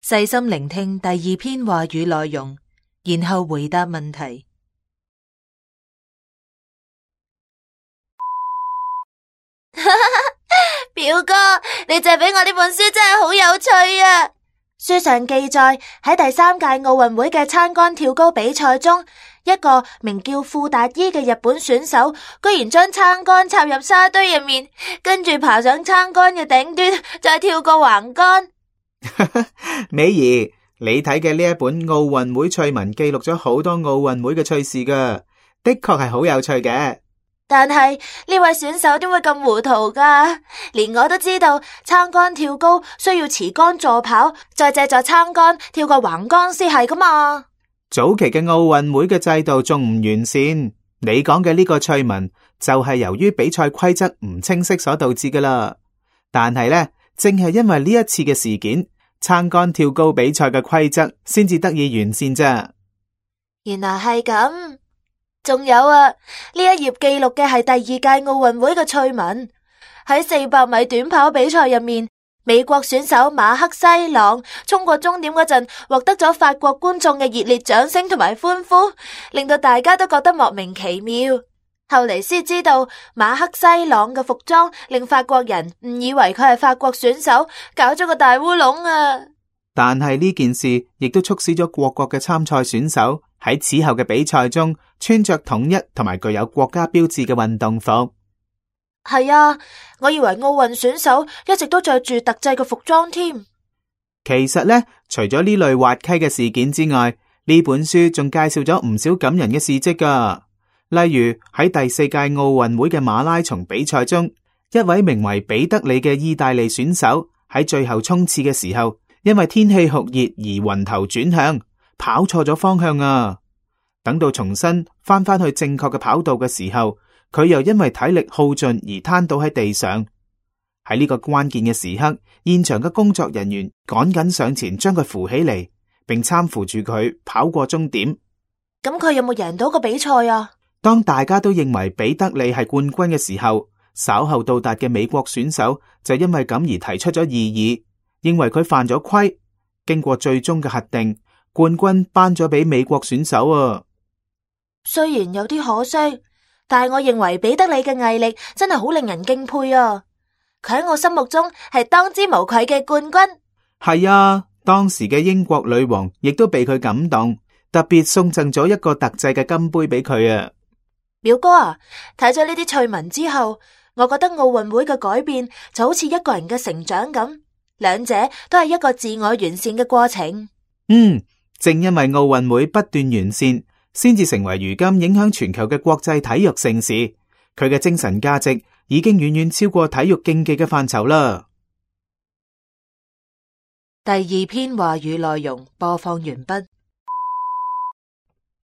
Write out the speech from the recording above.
細心聆聽第二篇話語內容，然後回答問題。表哥，你借俾我呢本書真係好有趣啊！書上記載喺第3屆奧運會嘅撐杆跳高比賽中，一個名叫富達伊嘅日本選手，居然將撐杆插入沙堆入面，跟住爬上撐杆嘅頂端，再跳過橫杆。美儀，你睇嘅呢一本奧運會趣聞記錄咗好多奧運會嘅趣事噶，的確係好有趣嘅。但係呢位選手點會咁糊塗噶？連我都知道撐杆跳高需要持杆助跑，再借助撐杆跳過橫杆先係噶嘛。早期嘅奧運會嘅制度仲唔完善，你講嘅呢個趣聞就係由於比賽規則唔清晰所導致噶啦。但係呢，正係因為呢一次嘅事件，撐杆跳高比賽嘅規則先至得以完善咋。原來係咁。仲有啊，呢一頁記錄嘅係第2屆奧運會嘅趣聞。喺400米短跑比賽入面，美國選手馬克西朗衝過終點嗰陣，獲得咗法國觀眾嘅熱烈掌聲同埋歡呼，令到大家都覺得莫名其妙。後嚟先知道馬克西朗嘅服裝令法國人誤以為佢係法國選手，搞咗個大烏龍啊！但係呢件事亦都促使咗各國嘅參賽選手喺此後嘅比賽中穿着統一同埋具有國家標誌嘅運動服。係啊，我以為奧運選手一直都着住特製嘅服裝添。其實呢，除咗呢類滑稽嘅事件之外，呢本書仲介紹咗唔少感人嘅事跡噶。例如喺第4屆奧運會嘅馬拉松比賽中，一位名為彼得里嘅意大利選手喺最後衝刺嘅時候，因為天氣酷熱而暈頭轉向，跑錯咗方向啊！等到重新翻去正確嘅跑道嘅時候，佢又因為體力耗盡而癱倒喺地上。喺呢個關鍵嘅時刻，現場嘅工作人員趕緊上前將佢扶起嚟，並攙扶住佢跑過終點。咁佢有冇贏到個比賽啊？當大家都認為彼得里係冠軍嘅時候，稍後到達嘅美國選手就因為咁而提出咗異議，認為佢犯咗規。經過最終嘅核定，冠軍頒咗俾美國選手啊。雖然有啲可惜，但係我認為彼得里嘅毅力真係好令人敬佩啊！佢喺我心目中係當之無愧嘅冠軍。係啊，當時嘅英國女王亦都被佢感動，特別送贈咗一個特製嘅金杯俾佢啊。表哥啊，睇咗呢啲趣聞之後，我覺得奧運會嘅改變就好似一個人嘅成長咁，兩者都係一個自我完善嘅過程。正因為奧運會不斷完善，先至成為如今影響全球嘅國際體育盛事。佢嘅精神價值已經遠遠超過體育競技嘅範疇啦。第2篇話語內容播放完畢。